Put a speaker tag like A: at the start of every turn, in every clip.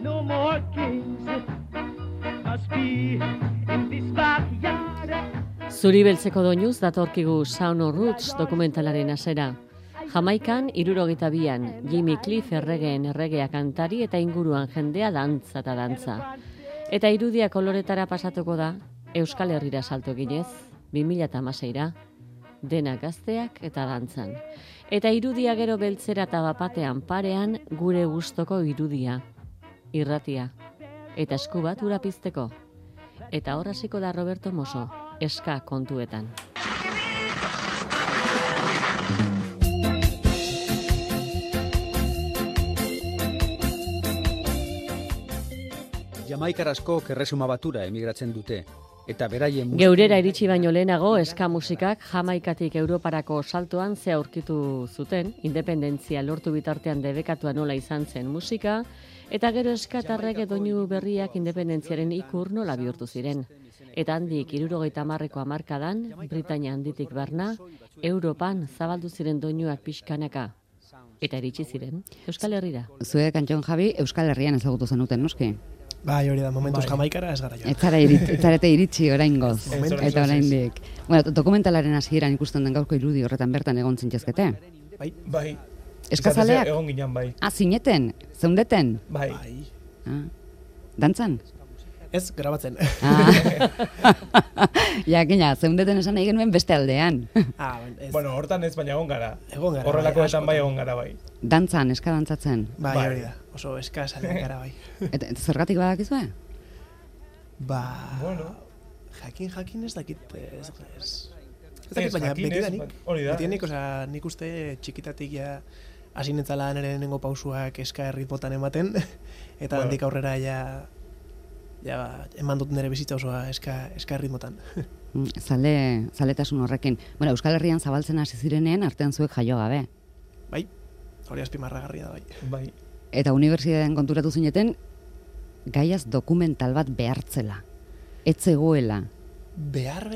A: no more kings. Must be in this backyard.
B: Zuri beltzeko doinuz datorkigu Sound of Roots dokumentalaren hasera. Jamaikan 72an Jimmy Cliff erregeen erregea kantari eta inguruan jendea dantza eta dantza. Eta irudia koloretara pasatuko da Euskal Herrira salto eginez 2016ra. Dena gazteak eta dantzan. Eta irudia gero beltzera eta bapatean parean gure gustoko irudia. Irratia. Eta esku bat ura pizteko. Eta hor hasiko da Roberto Mosso, eska kontuetan.
C: Jamaikar askok Erresuma Batura emigratzen dute. Eta beraien
B: Geurera iritsi baino lehenago eska musikak Jamaikatik Europarako saltoan ze aurkitu zuten, independentzia lortu bitartean debekatua nola izan zen musika, eta gero eskatarrek doinu berriak independentziaren ikur nola bihurtu ziren. Eta handik 70ko hamarkadan, Britainia handitik barna, Europan zabaldu ziren doinuak pixkanaka. Eta iritsi ziren Euskal Herrira.
D: Zuek, Antxon Javi, Euskal Herrian ezagutu zenuten, noski?
E: Bai, hori da, momentuz Jamaikara ez gara joan.
D: Ez zarete iritsi oraingoz, eta oraindik. Bueno, dokumentalaren hasieran ikusten den gaurko irudi horretan bertan egon zintzezkete.
F: Bai.
D: Eskazaleak?
F: Egon ginen, bai.
D: Zineten? Zeundeten?
F: Bai.
D: Dantzan?
E: Ez, grabatzen.
D: Jakina, zeundeten esan nahi genuen beste aldean.
F: Bueno, hortan ez, baina egon gara.
E: Horrelakoetan
F: bai egon gara, bai.
D: Dantzan, eska dantzatzen?
E: Bai, hori da. Oso eska zalean gara, bai.
D: Eta zergatik badakizue?
F: Bueno.
E: Jakin ez dakit, ez dakit, baina betidanik, nik uste txikitatik ja hasi netzala nire nengo pausuak eska erritmotan ematen, eta handik aurrera ja eman dut nire bizitza osoa eska erritmotan.
D: Zaletasun horrekin. Bueno, Euskal Herrian zabaltzen hasi zirenean artean zuek jaio gabe.
E: Bai, hori azpimarragarria da,
F: bai.
D: Eta unibertsitatean konturatu zineten gaiaz dokumental bat behartzela. Ez zegoela.
E: Behar,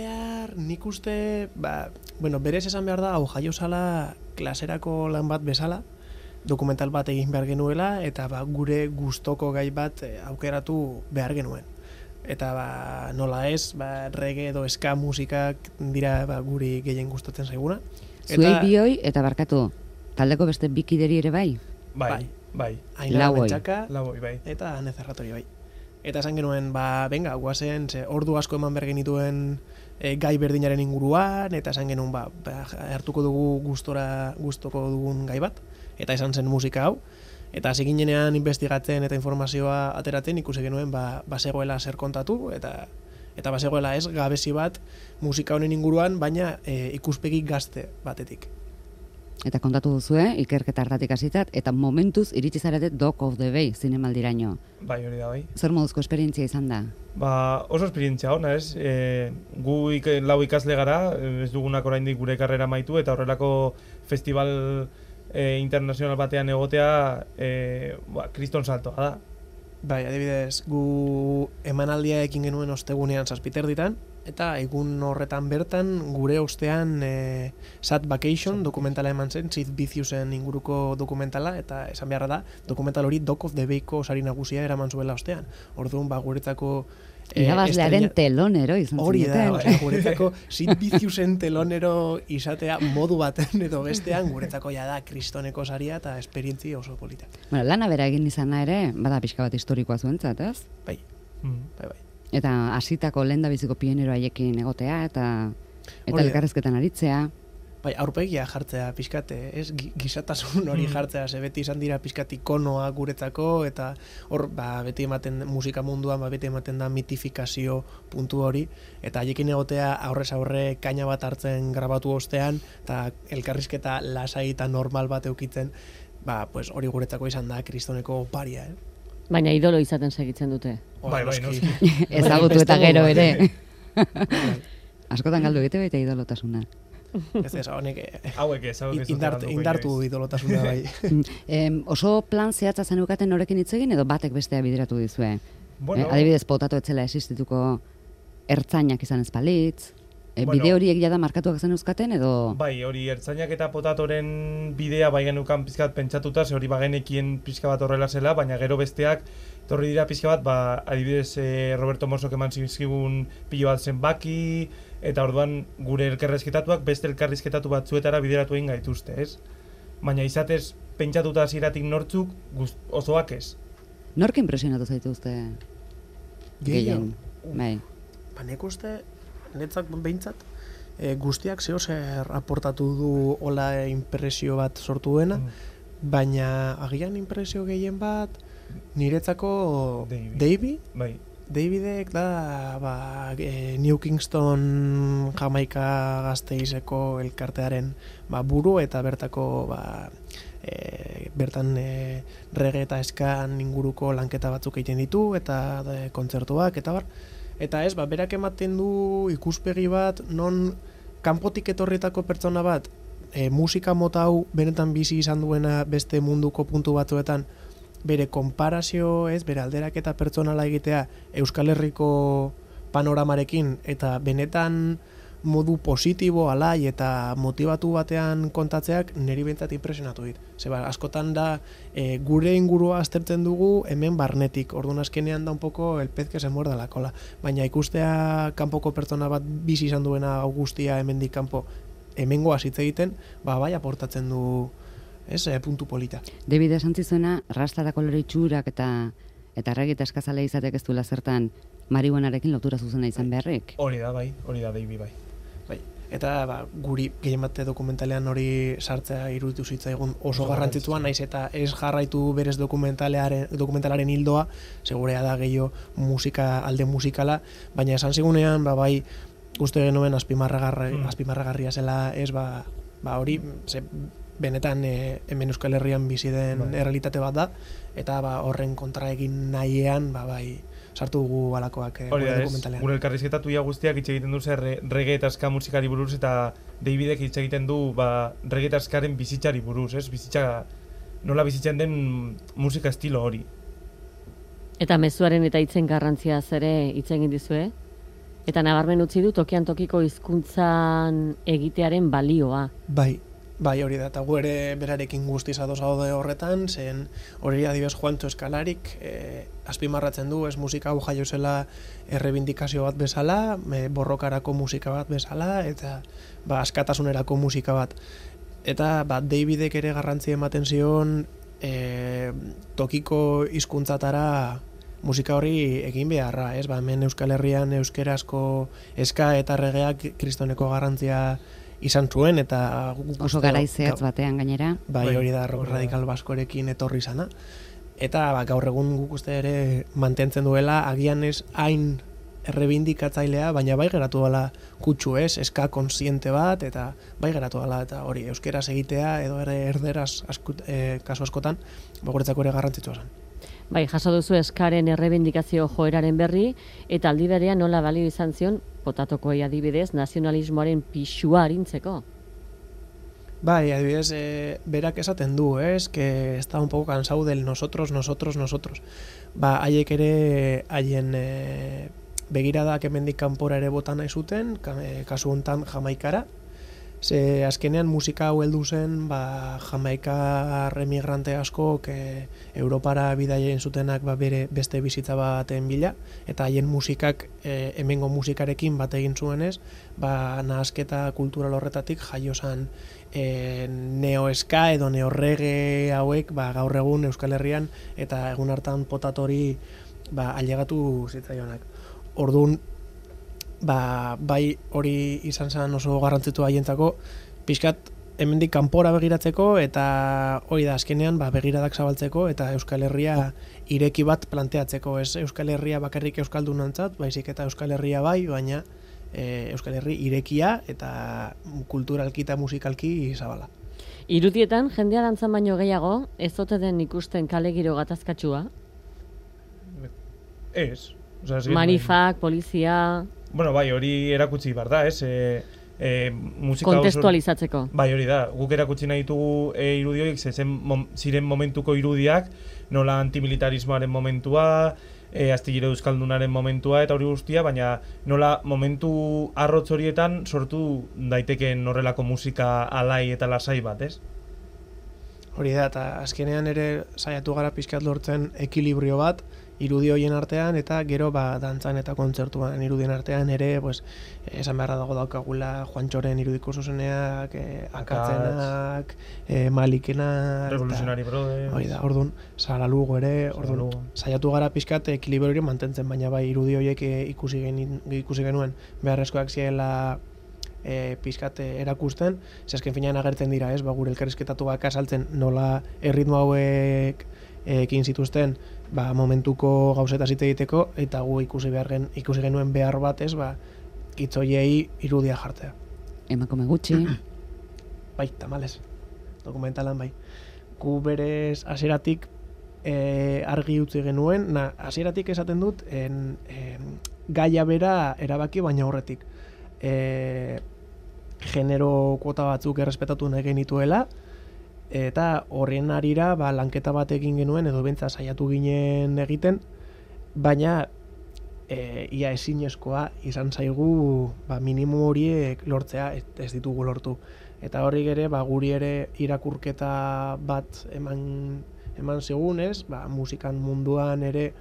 E: nik uste, berez esan behar da, hau jaio zala klaserako lan bat bezala, dokumental bat egin behar genuela, eta gure gustoko gai bat aukeratu behar genuen. Eta nola ez, reggae edo ska musikak dira guri gehien gustatzen zaiguna.
D: Zuei bioi, eta barkatu, taldeko beste bikideri ere bai?
F: Bai.
E: Ainara Mentxaka,
F: bai.
E: eta Ane Zerratori bai. Eta esan genuen, venga, guazen, ordu asko eman behar genituen gai berdinaren inguruan, eta esan genuen, hartuko dugu gustoko dugun gai bat, eta esan zen musika hau, eta hasi ginenean investigatzen eta informazioa ateratzen ikusi genuen, bazegoela zer kontatu, eta bazegoela ez gabezi bat musika honen inguruan, baina ikuspegi gazte batetik.
D: Eta kontatu duzue, ikerketa hartatik hasitat, eta momentuz iritsi zarete Dock of the Bay zinemaldiraino.
F: Bai, hori da, bai.
D: Zer moduzko esperientzia izan da?
F: Oso esperientzia ona, ez? Gu lau ikasle gara, ez dugunak oraindik gure karrera maitu, eta horrelako festival internazional batean egotea kriston saltoa da.
E: Bai, adibidez, gu emanaldia ekin genuen ostegunean 7 ditan, eta egun horretan bertan gure ostean Sad Vacation dokumentala eman zen, Sid Viciousen inguruko dokumentala, eta esan beharra da, dokumental hori Dock of the Bayko sari nagusia eraman zuela ostean. Orduan, guretzako
D: irabazlearen telonero izan zineten.
E: Hori da, guretzako Sid Viciousen telonero izatea modu baten edo bestean, guretzako ja da kristoneko saria eta esperientzia oso polita.
D: Bueno, lana bera egin izana ere, bada pixka bat historikoa zuentzat, ez?
E: Bai.
D: Eta hasitako lehendabiziko pionero haiekin egotea, eta elkarrezketan aritzea.
E: Bai, aurpegia jartzea pixkat, ez gizatasun hori jartzea, ze beti izan dira pixkat ikonoa guretzako, eta hor beti ematen musika munduan, beti ematen da mitifikazio puntu hori, eta haiekin egotea aurrez aurre kaina bat hartzen grabatu ostean, eta elkarrizketa lasai eta normal bat eukitzen, hori guretzako izan da kristoneko oparia,
B: Baina idolo izaten segitzen dute.
F: Bai, noski.
D: Ezagutu eta gero ere. Askotan galdu egite baita idolotasuna.
E: Ez, honek
F: hauek ez
E: indartu idolotasuna bai.
D: Oso plan zehatza zenukaten norekin hitz egin edo batek bestea bideratu dizue? Adibidez, potatu etzela existituko ertzainak izan ez balitz, bide horiek jada markatuak zen euskaten edo?
F: Bai, hori ertzainak eta potatoren bidea bai genukan pizkat pentsatuta, ze hori bagenekien pizka bat horrela zela, baina gero besteak Torri dira pixka bat, adibidez Roberto Mosok eman zizkigun pilo bat zenbaki, eta orduan gure elkarrizketatuak beste elkarrizketatu batzuetara bideratu egin gaituzte, ez? Baina izatez pentsatuta hasieratik nortzuk osoak ez.
D: Nork impresionatu zaituzte gehien? Bai.
E: Ba, nik uste, netzak behintzat, guztiak zer aportatu du hola impresio bat sortu duena, baina agian impresio gehien bat, niretzako Davey?
F: Bai.
E: Davidek da New Kingston Jamaika Gasteizeko elkartearen buru eta bertako bertan reggae eta eskan inguruko lanketa batzuk egiten ditu eta kontzertuak eta bar. Eta ez, berak ematen du ikuspegi bat non kanpotik etorritako pertsona bat musika mota hau benetan bizi izan duena beste munduko puntu batzuetan bere konparazio, bere alderaketa pertsonala egitea Euskal Herriko panoramarekin eta benetan modu positibo, alai eta motibatu batean kontatzeak niri behintzat impresionatu dit. Zeba, askotan da gure ingurua aztertzen dugu hemen barnetik, orduan azkenean da un poco el pez que se muerde la cola. Baina ikustea kanpoko pertsona bat bizi izan duena guztia hemendik kanpo hemengoa hitz egiten, bai aportatzen du puntu polita.
D: David esan zizuena, rasta da kolore itxurak eta reggae eta eskazale izatek ez duela zertan marihuanarekin lotura zuzena izan beharrik.
F: Hori da David bai.
E: Eta guri gehien bate dokumentalean hori sartzea iruditu zitzaigun oso garrantzitsua, naiz eta ez jarraitu berez dokumentalaren hildoa, segurea da gehiago alde musikala, baina esan zigunean, bai, uste genuen azpimarragarria zela hori, benetan hemen Euskal Herrian bizi den errealitate bat da, eta horren kontra egin nahiean, bai, sartu dugu alakoak dokumentalean.
F: Gure elkarrizketatu guztiak hitz egiten du reggae eta ska musikari buruz, eta Davidek hitz egiten du reggae eta skaren bizitzari buruz, bizitza nola bizitzen den musika estilo hori.
B: Eta mezuaren eta hitzen garrantzia ere hitz egin dizue? Eta nabarmen utzi du tokian tokiko hizkuntzan egitearen balioa.
E: Bai, hori da, eta gu ere berarekin guztiz ados gaude horretan, zen hori adibidez Juancho Eskalarik azpimarratzen du, musika hau jaio zela errebindikazio bat bezala, borrokarako musika bat bezala, eta askatasunerako musika bat. Eta Davidek ere garrantzi ematen zion tokiko hizkuntzatara musika hori egin beharra, hemen Euskal Herrian euskerazko eska eta reggaeak kristoneko garrantzia izan zuen, eta
D: oso garaizeatz batean gainera.
E: Bai, hori da rock radikal baskorekin etorri izana. Eta gaur egun guk uste ere mantentzen duela, agian ez hain errebindikatzailea, baina bai geratu dela kutsu eska konsiente bat, eta bai geratu dela, eta hori euskeraz egitea, edo erderaz kasu askotan, guretzako ere garrantzitsua zen.
B: Bai, jaso duzu eskaren errebindikazio joeraren berri, eta aldi berean nola balio izan zion, potatokoi adibidez, nazionalismoaren pixua arintzeko.
E: Bai, adibidez, berak esaten du, que está un poco cansado del nosotros. Haiek ere, haien begiradak hemendik kanpora ere bota nahi zuten, kasu hontan Jamaikara. Ze azkenean musika hau heldu zen, Jamaikar emigrante asko Europara bidaien zutenak bere beste bizitza baten bila, eta haien musikak hemengo musikarekin bat egin zuenez, nahasketa kultural horretatik jaio zen neo-eska edo neo-reggae hauek gaur egun Euskal Herrian eta egun hartan potatori ailegatu zitzaionak. Orduan, bai hori izan zen oso garrantzitu haientzako, pixkat hemendik kanpora begiratzeko, eta hori da azkenean begiradak zabaltzeko, eta Euskal Herria ireki bat planteatzeko, ez Euskal Herria bakarrik euskaldunontzat, baizik eta Euskal Herria bai, baina Euskal Herri irekia eta kulturalki eta musikalki zabala.
B: Irudietan, jendea dantzan baino gehiago, ez ote den ikusten kale giro gatazkatsua?
F: Ez.
B: Manifak, polizia...
F: Bueno, bai, hori erakutsi behar da,
B: kontestualizatzeko.
F: Bai, hori da, guk erakutsi nahi ditugu irudioik, ziren momentuko irudiak, nola antimilitarismoaren momentua, astillero euskaldunaren momentua eta hori guztia, baina nola momentu arrotz horietan sortu daitekeen horrelako musika alai eta lasai bat, ez?
E: Hori da, eta azkenean ere saiatu gara pixkat lortzen ekilibrio bat, irudi horien artean, eta gero dantzan eta kontzertuan irudien artean ere, pues, esan beharra dago daukagula Juantxoren irudiko zuzeneak, Akatzenak, Malikenak,
F: Revolutionary Brothers,
E: hori da, orduan, Saralugo ere, orduan, saiatu gara pixkat ekilibrio hori mantentzen, baina bai irudi horiek ikusi genuen beharrezkoak ziela pixkat erakusten, zesken finean agertzen dira, ez, gure elkarrizketatuak azaltzen nola erritmo hauek ekin zituzten, momentuko gauzeta zite egiteko, eta gu ikusi genuen behar bat, ez, hitzoiei irudia jartzea.
D: Emakume gutxi.
E: Bai, tamales, dokumentalan bai. Gu berez hasieratik argi utzi genuen, hasieratik esaten dut, gaia bera erabaki baina horretik. Genero kuota batzuk errespetatu nahi genituela, eta horren arira lanketa bat egin genuen, edo bentsa saiatu ginen egiten, baina ia ezinezkoa izan zaigu minimo horiek lortzea, ez ditugu lortu. Eta horrik ere, guri ere irakurketa bat eman segunez, musikan munduan ere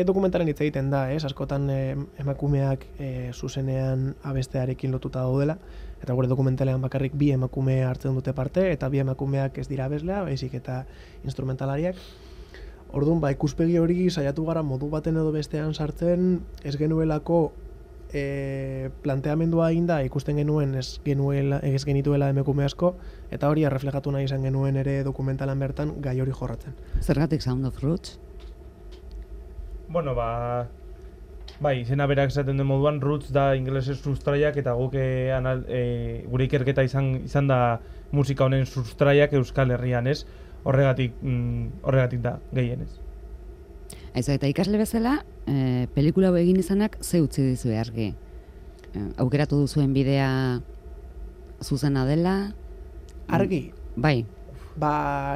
E: dokumentaren hitz egiten da, askotan emakumeak zuzenean abestearekin lotuta daudela, eta gure dokumentalean bakarrik bi emakume hartzen dute parte, eta bi emakumeak ez dira abeslea, baizik eta instrumentalariak. Orduan, ikuspegi hori saiatu gara modu baten edo bestean sartzen, ez genuelako planteamendua egin da, ikusten genuen ez genituela emakume asko, eta hori erreflejatu nahi izan genuen ere dokumentalan bertan gai hori jorratzen.
D: Zergatik Sound of Roots?
F: Bueno, bai, izena berak esaten den moduan, Roots da ingelesez sustraiak, eta guk gure ikerketa izan da musika honen sustraiak Euskal Herrian, ez? Horregatik da, gehienez.
D: Aizu, eta ikasle bezala, pelikula hau egin izanak ze utzi dizue argi? Aukeratu duzuen bidea zuzena dela?
E: Argi?
D: Bai.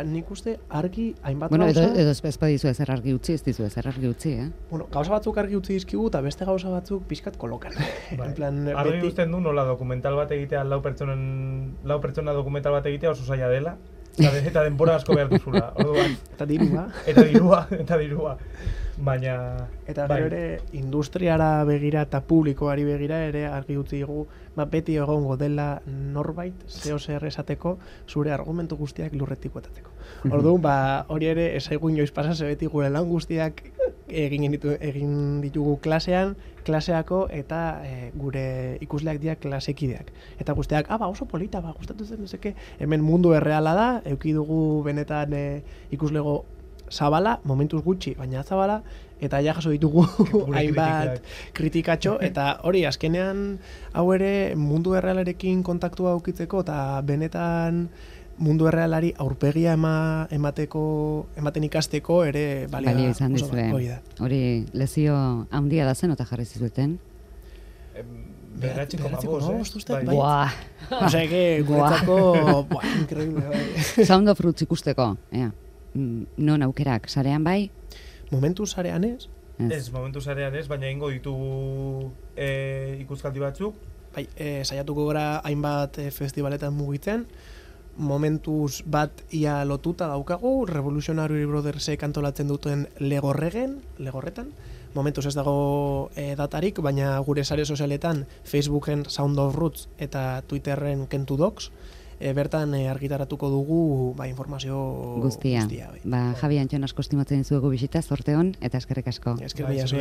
E: Nik uste argi hainbat
D: gauza...
E: Bueno,
D: edo ez badizu ezer argi utzi, ez dizu ezer argi utzi,
E: Bueno, gauza batzuk argi utzi dizkigu, eta beste gauza batzuk pixkat kolokan.
F: Argi usten du nola dokumental bat egitea, lau pertsona dokumental bat egitea oso zaila dela, eta denbora asko behar duzula.
E: Eta dirua.
F: Eta dirua. Baina...
E: Eta gero ere, industriara begira eta publikoari begira ere argi utzi dugu, beti egongo dela norbait, zeo zer esateko, zure argumentu guztiak lurretik botatzeko. Orduan, hori ere, esaigu inoiz pasa, ze beti gure lan guztiak egin ditugu klaseako, eta gure ikusleak dira klasekideak. Eta guztiak, oso polita, gustatu zen, hemen mundu erreala da, eduki dugu benetan ikuslego zabala, momentuz gutxi, baina zabala, eta ja jaso ditugu hainbat kritikatxo, eta hori, azkenean hau ere mundu errealarekin kontaktua aukitzeko, eta benetan mundu errealari aurpegia ematen ikasteko ere
D: balio izan dizue. Hori lezio handia da zen, eta jarri zizueten?
F: Beratxiko magoz,
D: Buah!
E: Osea, guretzako, increíble.
D: Sound of Roots ikusteko, non aukerak, sarean bai?
E: Momentu sarean ez?
F: Ez, momentu sarean ez, baina ingo ditugu ikuskaldi batzuk.
E: Bai, saiatuko gara hainbat festivaletan mugitzen, momentuz bat ia lotuta daukagu, Revolutionary Brothersek antolatzen duten legorretan, momentuz ez dago datarik, baina gure sare sozialetan Facebooken Sound of Roots eta Twitterren Kentu Docs, bertan argitaratuko dugu informazio guztia.
D: Javi Antxon asko estimatzen dizuegu bisita, zorte hon, eta eskerrik asko.
E: Eskerrik asko.